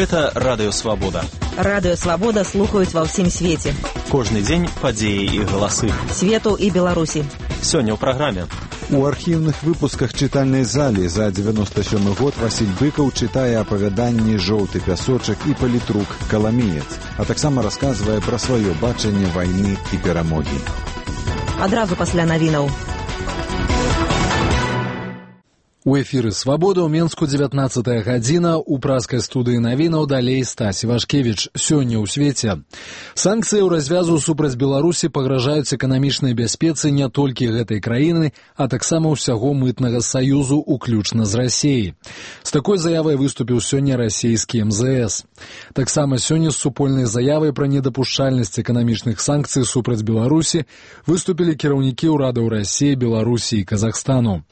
Гэта Радыё Свабода. Радыё Свабода слухаюць ва ўсім свеце. Кожны дзень падзеі і галасы. Свету і Беларусі. Сёння ў праграме. У архіўных выпусках чытальнай залі за 97 год Васіль Быкаў чытае апавяданні «Жоўты пясочак» і палітрук «Каламіец», а таксама расказвае пра сваё бачанне вайны і перамогі. Адразу пасля навінаў. У эфіры «Свабода» ў Менску 19 гадзіна, у праскай студыі навінаў далей Стась Івашкевіч. Сёння ў свеце. Санкцыі ў развязу супраць Беларусі пагражаюць эканамічнай бяспецы не толькі гэтай краіны, а таксама ўсяго мытнага саюзу, уключна з Расіяй. З такой заявай выступіў сёння расійскі МЗС. Таксама сёння з супольнай заявай пра недапушчальнасць эканамічных санкцый супраць Беларусі выступілі кіраўнікі ўрадаў Расіі, Беларусі і Казахстану.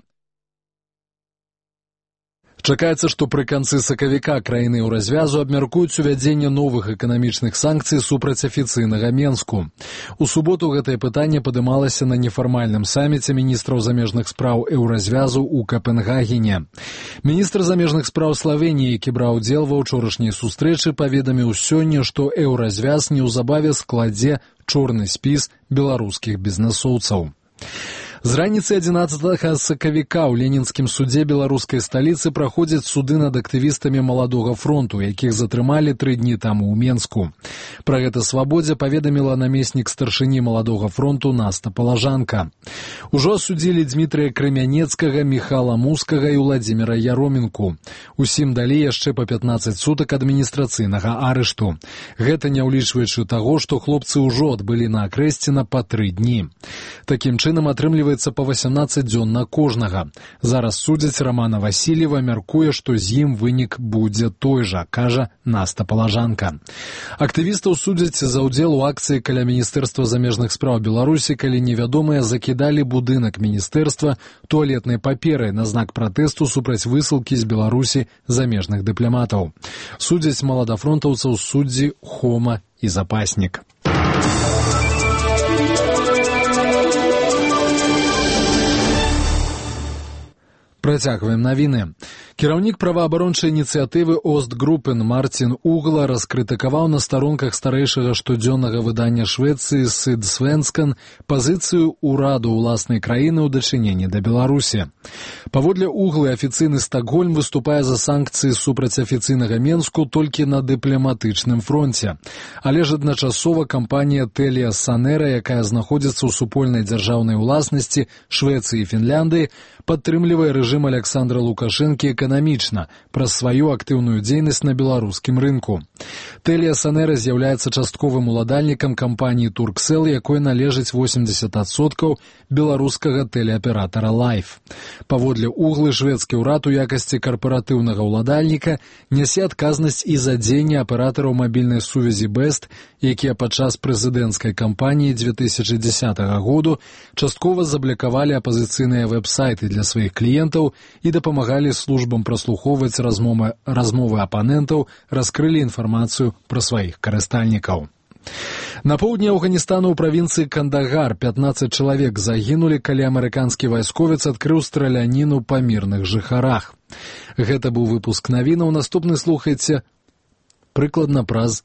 Чакаецца, што пры канцы сакавіка краіны ў развязу абмяркуюць увядзенне новых эканамічных санкцый супраць афіцыйнага Менску. У суботу гэтае пытанне падымалася на нефармальным саміце міністраў замежных спраў Еўразвязу ў Капенгагене. Міністр замежных спраў Славеніі, які браў удзел ва ўчорашняй сустрэчы, паведаміў сёння, што Еўразвяз неўзабаве складзе чорны спіс беларускіх бізнэсоўцаў. З раніцы 11 сакавіка ў ленінскім судзе беларускай сталіцы праходзяць суды над актывістамі Маладога фронту, якіх затрымалі 3 дні таму ў Менску. Пра гэта «Свабодзе» паведаміла намеснік старшыні Маладога фронту Наста Палажанка. Ужо асудзілі Дмітрыя Крамянецкага, Міхала Мускага і Владзіміра Яроменку. Усім далі яшчэ па 15 сутак адміністрацыйнага арышту. Гэта не ўлічваючы таго, што хлопцы ўжо адбылі на Акрэсціна па 3 дні. Такім чынам атрымліваецца па 18 дзён на кожнага. Зараз судзяць Рамана Васильева, мяркуе, што з ім вынік будзе той жа, кажа Наста Палажанка. Актывістаў судзяць за ўдзел у акцыі каля Міністэрства замежных спраў Беларусі, калі невядомыя закідалі будынак міністэрства туалетнай паперай на знак пратэсту супраць высылкі з Беларусі замежных дыпламатаў. Судзяць маладафронтаўцаў суддзі Хома і Запаснік. Працягваем навіны. Кіраўнік праваабарончай ініцыятывы Остгруппен Мартін Угла раскрытыкаваў на старонках старэйшага штодзённага выдання Швецыі Сыдсвенскан пазіцыю ўраду ўласнай краіны ў дачыненні да Беларусі. Паводле Углы, афіцыйны Стакгольм выступае за санкцыі супраць афіцыйнага Менску толькі на дыпламатычным фронце. Але ж адначасова кампанія Телія Санера, якая знаходзіцца ў супольнай дзяржаўнай уласнасці Швецыі і Фінляндыі, падтрымлівае рэжым Александра Лукашэнкі эканамічна праз сваю актыўную дзейнасць на беларускім рынку. Телія Санера з'яўляецца частковым уладальнікам кампаніі Турксел, якой належыць 80% беларускага тэлеаператара Лайф. Паводле Углы, шведскі ўрад у якасці карпаратыўнага ўладальніка нясе адказнасць і за дзеянне аператараў мабільнай сувязі Бест, якія падчас прэзідэнцкай кампаніі 2010 году часткова заблакавалі апазіцыйныя вэб-сайты для сваіх кліентаў і дапамагалі службам праслухоўваць размовы апанентаў, раскрылі інфармацыю пра сваіх карыстальнікаў. На поўдні Афганістану ў правінцыі Кандагар 15 чалавек загінулі, калі амерыканскі вайсковец адкрыў страляніну па мірных жыхарах. Гэта быў выпуск навінаў. Наступны слухайце прыкладна праз